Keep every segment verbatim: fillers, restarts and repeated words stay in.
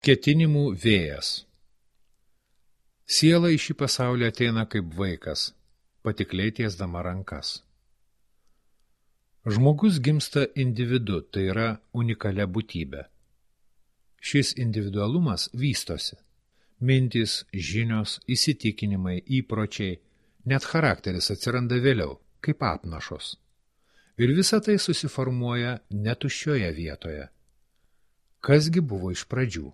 Ketinimų vėjas. Siela į šį pasaulį ateina kaip vaikas, patikliai tiesdama rankas. Žmogus gimsta individu, tai yra unikalia būtybė. Šis individualumas vystosi. Mintys, žinios, įsitikinimai, įpročiai, net charakteris atsiranda vėliau, kaip apnašos. Ir visa tai susiformuoja netuščioje vietoje. Kasgi buvo iš pradžių?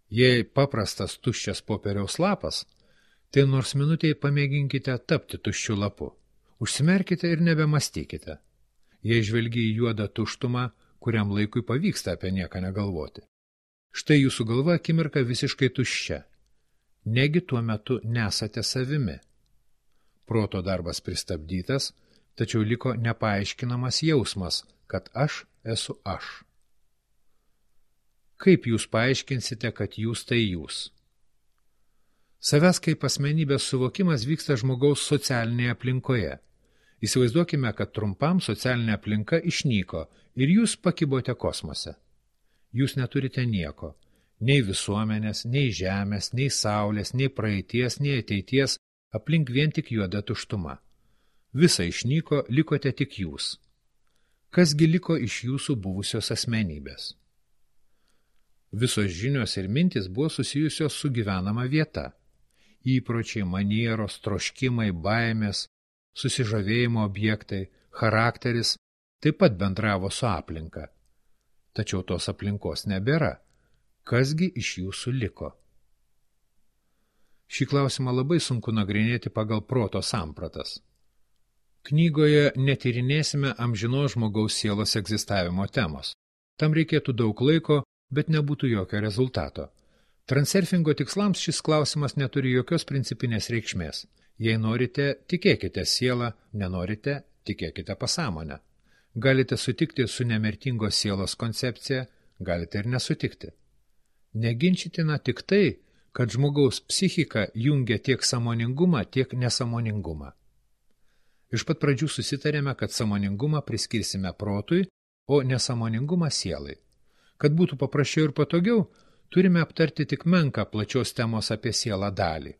Jei paprastas tuščias popieriaus lapas, tai nors minutėj pamėginkite tapti tuščiu lapu. Užsimerkite ir nebemastykite. Jei žvelgi į juodą tuštumą, kuriam laikui pavyksta apie nieką negalvoti. Štai jūsų galva akimirka visiškai tuščia. Negi tuo metu nesate savimi. Proto darbas pristabdytas, tačiau liko nepaaiškinamas jausmas, kad aš esu aš. Kaip jūs paaiškinsite, kad jūs tai jūs? Savęs kaip asmenybės suvokimas vyksta žmogaus socialinėje aplinkoje. Įsivaizduokime, kad trumpam socialinė aplinka išnyko ir jūs pakibote kosmose. Jūs neturite nieko, nei visuomenės, nei žemės, nei saulės, nei praeities, nei ateities, aplink vien tik juoda tuštuma. Visa išnyko, likote tik jūs. Kasgi liko iš jūsų buvusios asmenybės? Visos žinios ir mintis buvo susijusios su gyvenama vieta. Įpročiai, manieros, troškimai, baimės, susižavėjimo objektai, charakteris taip pat bendravo su aplinka. Tačiau tos aplinkos nebėra. Kasgi iš jūsų liko? Šį klausimą labai sunku nagrinėti pagal proto sampratas. Knygoje netyrinėsime amžinos žmogaus sielos egzistavimo temos. Tam reikėtų daug laiko, bet nebūtų jokio rezultato. Transurfingo tikslams šis klausimas neturi jokios principinės reikšmės. Jei norite, tikėkite sielą, nenorite, tikėkite pasąmonę. Galite sutikti su nemirtingos sielos koncepcija, galite ir nesutikti. Neginčitina tik tai, kad žmogaus psichika jungia tiek sąmoningumą, tiek nesąmoningumą. Iš pat pradžių susitarėme, kad sąmoningumą priskirsime protui, o nesąmoningumą sielai. Kad būtų paprasčiau ir patogiau, turime aptarti tik menką plačios temos apie sielą dalį.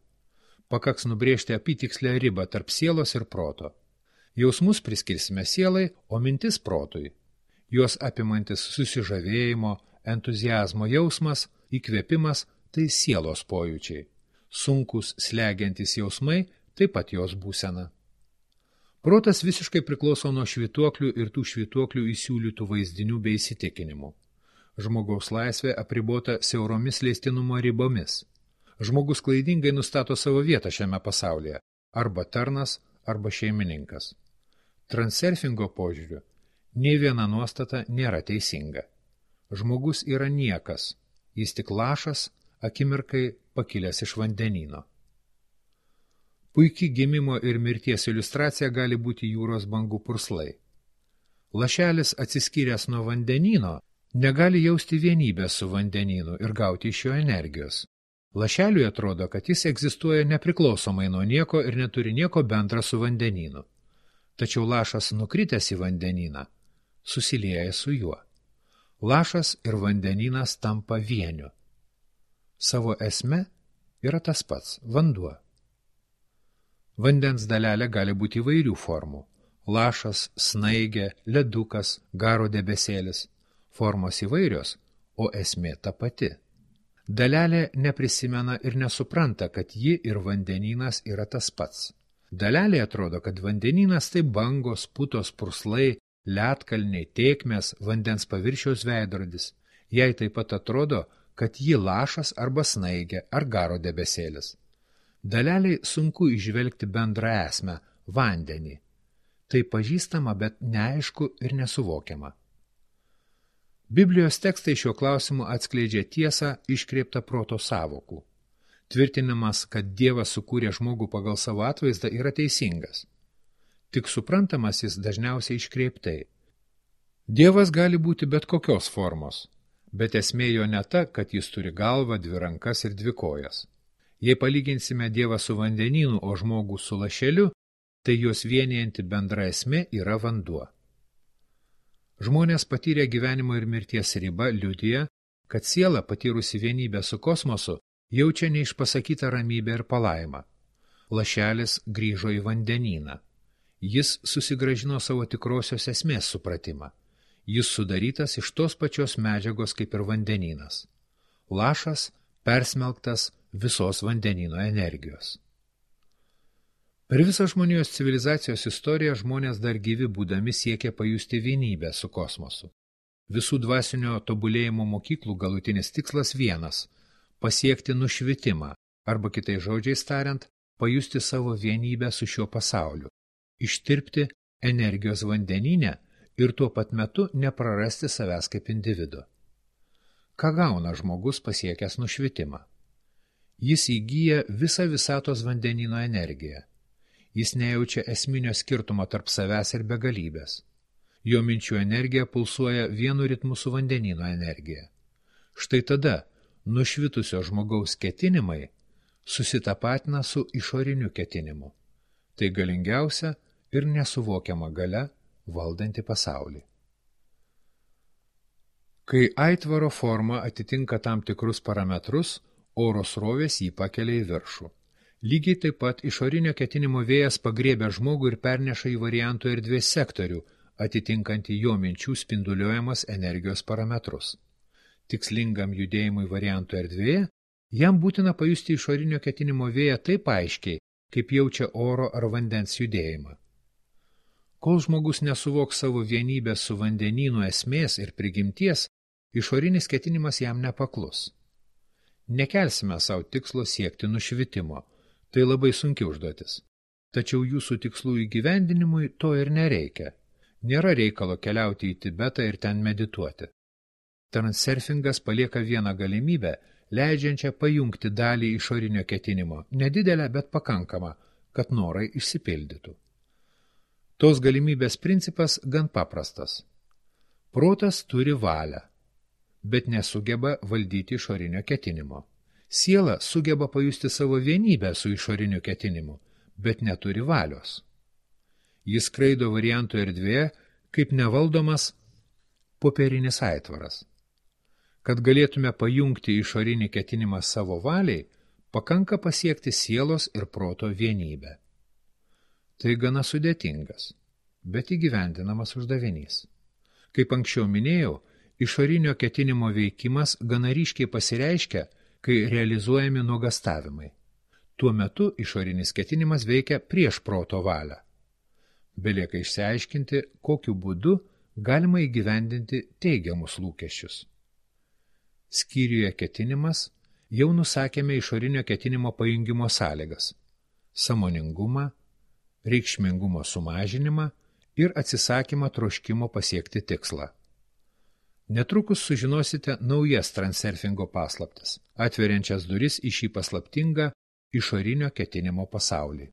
Pakaks nubrėžti apytikslę ribą tarp sielos ir proto. Jausmus priskirsime sielai, o mintis protui. Juos apimantis susižavėjimo, entuziazmo jausmas, įkvėpimas – tai sielos pojūčiai. Sunkus, slegiantys jausmai – taip pat jos būsena. Protas visiškai priklauso nuo švytuoklių ir tų švytuoklių įsiūlytų vaizdinių bei įsitikinimų. Žmogaus laisvė apribota siauromis leistinumo ribomis. Žmogus klaidingai nustato savo vietą šiame pasaulyje – arba tarnas, arba šeimininkas. Transurfingo požiūriu nei viena nuostata nėra teisinga. Žmogus yra niekas, jis tik lašas, akimirkai pakilęs iš vandenyno. Puiki gimimo ir mirties iliustracija gali būti jūros bangų purslai. Lašelis atsiskyręs nuo vandenyno negali jausti vienybės su vandenynu ir gauti iš jo energijos. Lašeliui atrodo, kad jis egzistuoja nepriklausomai nuo nieko ir neturi nieko bendra su vandenynu. Tačiau lašas nukritęs į vandenyną susilieja su juo. Lašas ir vandenynas tampa vieniu. Savo esme yra tas pats – vanduo. Vandens dalelė gali būti įvairių formų – lašas, snaigė, ledukas, garo debesėlis. Formos įvairios, o esmė ta pati. Dalelė neprisimena ir nesupranta, kad ji ir vandenynas yra tas pats. Dalelė atrodo, kad vandenynas tai bangos, putos, purslai, ledkalniai, tėkmės, vandens paviršiaus veidrodis. Jai taip pat atrodo, kad ji lašas arba snaigė ar garo debesėlis. Daleliai sunku įžvelgti bendrą esmę – vandenį. Tai pažįstama, bet neaišku ir nesuvokiama. Biblijos tekstai šiuo klausimu atskleidžia tiesą iškreiptą proto sąvokų. Tvirtinimas, kad Dievas sukūrė žmogų pagal savo atvaizdą, yra teisingas. Tik suprantamas jis dažniausiai iškreiptai. Dievas gali būti bet kokios formos, bet esmė jo ne ta, kad jis turi galvą, dvi rankas ir dvi kojas. Jei palyginsime Dievą su vandenynu, o žmogų su lašeliu, tai jos vienijanti bendra esmė yra vanduo. Žmonės patyrę gyvenimo ir mirties ribą liudija, kad siela, patyrusi vienybę su kosmosu, jaučia neišpasakytą ramybę ir palaimą. Lašelis grįžo į vandenyną. Jis susigrąžino savo tikrosios esmės supratimą. Jis sudarytas iš tos pačios medžiagos kaip ir vandenynas. Lašas persmelktas visos vandenyno energijos. Per visą žmonijos civilizacijos istoriją žmonės dar gyvi būdami siekia pajusti vienybę su kosmosu. Visų dvasinio tobulėjimo mokyklų galutinis tikslas vienas – pasiekti nušvitimą, arba kitais žodžiais tariant, pajusti savo vienybę su šiuo pasauliu, ištirpti energijos vandenyne ir tuo pat metu neprarasti savęs kaip individo. Ką gauna žmogus pasiekęs nušvitimą? Jis įgyja visą visatos vandenyno energiją. Jis nejaučia esminio skirtumo tarp savęs ir begalybės. Jo minčių energija pulsuoja vienu ritmu su vandenyno energija. Štai tada nušvitusio žmogaus ketinimai susitapatina su išoriniu ketinimu. Tai galingiausia ir nesuvokiama galia valdanti pasaulį. Kai aitvaro forma atitinka tam tikrus parametrus, oro srovės jį pakelia į viršų. Lygiai taip pat išorinio ketinimo vėjas pagriebia žmogų ir perneša į variantų erdvės sektorių, atitinkantį jo minčių spinduliuojamas energijos parametrus. Tikslingam judėjimui variantų erdvėje, jam būtina pajusti išorinio ketinimo vėją taip aiškiai, kaip jaučia oro ar vandens judėjimą. Kol žmogus nesuvoks savo vienybės su vandenynu esmės ir prigimties, išorinis ketinimas jam nepaklus. Nekelsime savo tikslo siekti nušvitimo. Tai labai sunki užduotis. Tačiau jūsų tikslų įgyvendinimui to ir nereikia. Nėra reikalo keliauti į Tibetą ir ten medituoti. Transurfingas palieka vieną galimybę, leidžiančią pajungti dalį išorinio ketinimo, nedidelę, bet pakankamą, kad norai išsipildytų. Tos galimybės principas gan paprastas. Protas turi valią, bet nesugeba valdyti išorinio ketinimo. Siela sugeba pajusti savo vienybę su išoriniu ketinimu, bet neturi valios. Jis skraido variantų erdvėje, kaip nevaldomas popierinis aitvaras. Kad galėtume pajungti išorinį ketinimą savo valiai, pakanka pasiekti sielos ir proto vienybę. Tai gana sudėtingas, bet įgyvendinamas uždavinys. Kaip anksčiau minėjau, išorinio ketinimo veikimas gana ryškiai pasireiškia, kai realizuojami nuogastavimai. Tuo metu išorinis ketinimas veikia prieš proto valią. Belieka išsiaiškinti, kokiu būdu galima įgyvendinti teigiamus lūkesčius. Skyriuje ketinimas jau nusakėme išorinio ketinimo pajungimo sąlygas – sąmoningumą, reikšmingumo sumažinimą ir atsisakymą troškimo pasiekti tikslą. Netrukus sužinosite naujas transurfingo paslaptis, atveriančias duris į šį paslaptingą išorinio ketinimo pasaulį.